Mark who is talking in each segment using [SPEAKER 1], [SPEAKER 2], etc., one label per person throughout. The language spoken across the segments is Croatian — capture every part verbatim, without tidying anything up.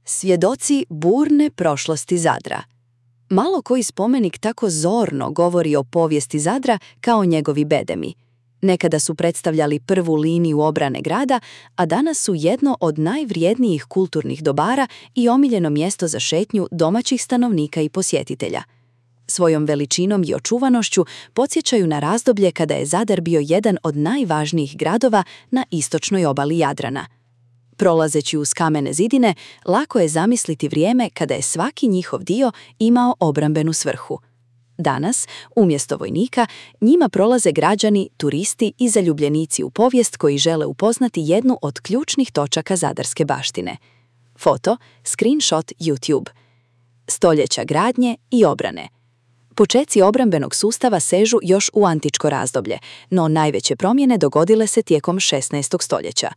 [SPEAKER 1] Svjedoci burne prošlosti Zadra. Malo koji spomenik tako zorno govori o povijesti Zadra kao njegovi bedemi. Nekada su predstavljali prvu liniju obrane grada, a danas su jedno od najvrijednijih kulturnih dobara i omiljeno mjesto za šetnju domaćih stanovnika i posjetitelja. Svojom veličinom i očuvanošću podsjećaju na razdoblje kada je Zadar bio jedan od najvažnijih gradova na istočnoj obali Jadrana. Prolazeći uz kamene zidine, lako je zamisliti vrijeme kada je svaki njihov dio imao obrambenu svrhu. Danas, umjesto vojnika, njima prolaze građani, turisti i zaljubljenici u povijest koji žele upoznati jednu od ključnih točaka zadarske baštine. Foto, screenshot YouTube. Stoljeća gradnje i obrane. Počeci obrambenog sustava sežu još u antičko razdoblje, no najveće promjene dogodile se tijekom šesnaestog stoljeća.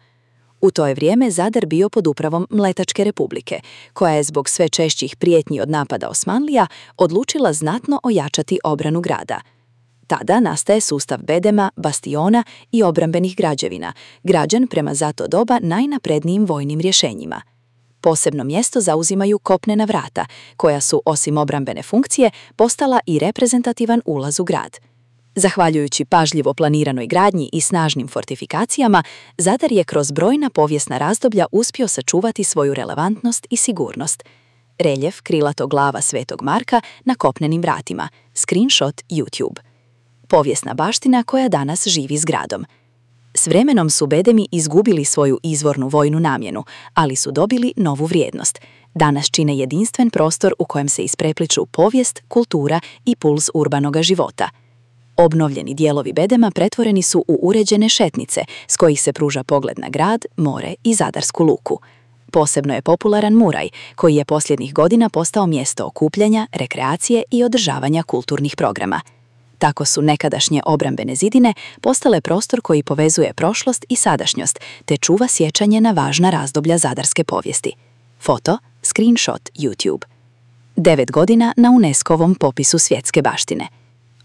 [SPEAKER 1] U to je vrijeme Zadar bio pod upravom Mletačke republike, koja je zbog sve češćih prijetnji od napada Osmanlija odlučila znatno ojačati obranu grada. Tada nastaje sustav bedema, bastiona i obrambenih građevina, građen prema za to doba najnaprednijim vojnim rješenjima. Posebno mjesto zauzimaju kopnena vrata, koja su, osim obrambene funkcije, postala i reprezentativan ulaz u grad. Zahvaljujući pažljivo planiranoj gradnji i snažnim fortifikacijama, Zadar je kroz brojna povijesna razdoblja uspio sačuvati svoju relevantnost i sigurnost. Reljef krilato glava Svetog Marka na kopnenim vratima, screenshot YouTube. Povijesna baština koja danas živi s gradom. S vremenom su bedemi izgubili svoju izvornu vojnu namjenu, ali su dobili novu vrijednost. Danas čine jedinstven prostor u kojem se isprepliču povijest, kultura i puls urbanoga života. Obnovljeni dijelovi bedema pretvoreni su u uređene šetnice s kojih se pruža pogled na grad, more i Zadarsku luku. Posebno je popularan Muraj, koji je posljednjih godina postao mjesto okupljanja, rekreacije i održavanja kulturnih programa. Tako su nekadašnje obrambene zidine postale prostor koji povezuje prošlost i sadašnjost, te čuva sjećanje na važna razdoblja zadarske povijesti. Foto, screenshot YouTube. Devet godina na UNESCO-vom popisu svjetske baštine.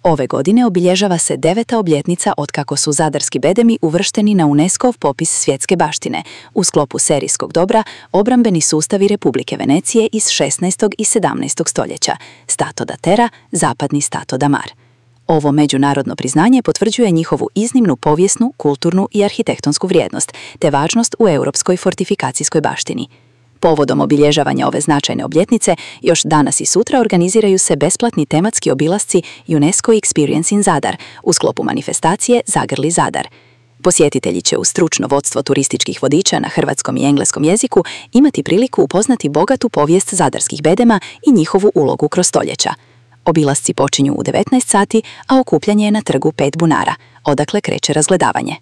[SPEAKER 1] Ove godine obilježava se deveta obljetnica otkako su zadarski bedemi uvršteni na UNESCO-ov popis svjetske baštine u sklopu serijskog dobra obrambeni sustavi Republike Venecije iz šesnaestog i sedamnaestog stoljeća, Stato da Terra, zapadni Stato da Mar. Ovo međunarodno priznanje potvrđuje njihovu iznimnu povijesnu, kulturnu i arhitektonsku vrijednost, te važnost u europskoj fortifikacijskoj baštini. Povodom obilježavanja ove značajne obljetnice, još danas i sutra organiziraju se besplatni tematski obilasci UNESCO Experience in Zadar u sklopu manifestacije Zagrli Zadar. Posjetitelji će uz stručno vodstvo turističkih vodiča na hrvatskom i engleskom jeziku imati priliku upoznati bogatu povijest zadarskih bedema i njihovu ulogu kroz stoljeća. Obilasci počinju u devetnaest sati, a okupljanje je na trgu Pet bunara, odakle kreće razgledavanje.